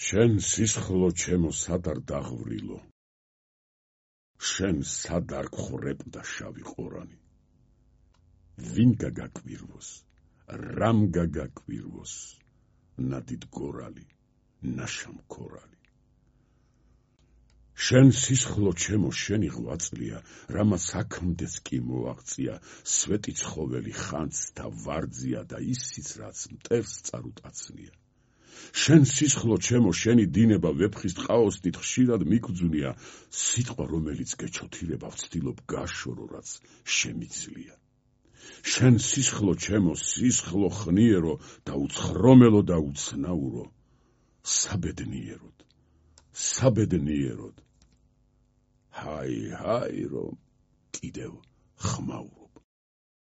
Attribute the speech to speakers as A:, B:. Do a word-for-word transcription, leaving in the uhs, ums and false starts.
A: შენ სისხლო ჩემო სად არ დაღვრილო, შენ სად არ გხრებდა შავი ყორანი, ვინ გაგაკვირვოს, რამ გაგაკვირვოს, ნადიდ გორალი, ნაშამქორალი. შენ სისხლო ჩემო შენი ღვაწლია, რამაც აქამდეც კი მოაღწია, სვეტი ცხოველი ხანძ და ვარძია და ისიც რაც მტერს წარუტაცნია. შენ სისხლო ჩემო შენი დინება ვეფხის ტყაოსნით ხშირად მიგძვნია, სიტყვა რომელიც გეჩოთირება ვცდილობ გაშორო რაც შემიძლია. შენ სისხლო ჩემო სისხლო ხნიერო და უცხრომელო და უცნაურო, საბედნიეროდ, საბედნიეროდ, ჰაი ჰაი რომ კიდევ ხმაურო.